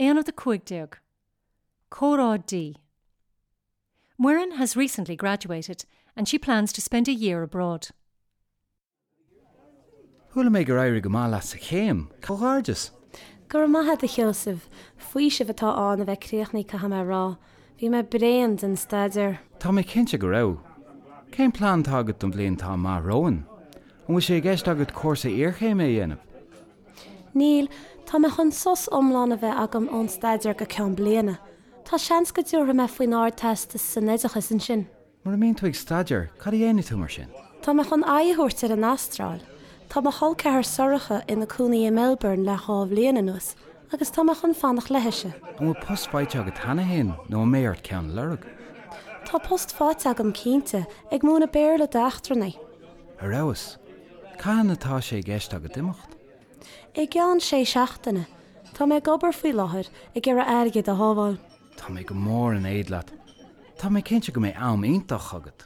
Aonad 15. Comhrá D. Muireann has recently graduated and she plans to spend a year abroad. Chuala mé gur éirigh go maith leat sa chéim. Comhghairdeas! Go raibh maith agat, a Sheosaimh. Faoiseamh atá ann a bheith críochnaithe caithfidh mé a rá. Bhí mé bréan den staidéar. Tá mé cinnte go raibh. Cén plean atá agat don bhliain atá amach romhainn? An bhfuil sé i gceist agat cúrsa iarchéime a dhéanamh? Níl, tá mé chun sos iomlán a bheith agam ón staidéar go ceann bliana. Tá seans go dtabharfaidh mé faoin Ardteastas san Oideachas ansin. Mura mbíonn tú ag staidéar, cad a dhéanfaidh tú mar sin? Tá mé chun aghaidh a thabhairt ar an Astráil. Tá mo chol ceathar Sorcha ina cónaí i Melbourne le dhá bhliain anuas agus tá mé chun fanacht leithise. An bhfuil post faighte agat cheana féin nó an mbeidh ort ceann a lorg? Tá post faighte agam cinnte, ag múineadh Béarla d'eachtrannaigh. Ar fheabhas! Cathain atá sé i gceist agat imeacht? I gceann sé seachtaine. Tá mé ag obair faoi láthair, ag iarraidh airgead a shábháil. Tá mé go mór in éad leat. Tá mé cinnte go mbeidh am iontach agat.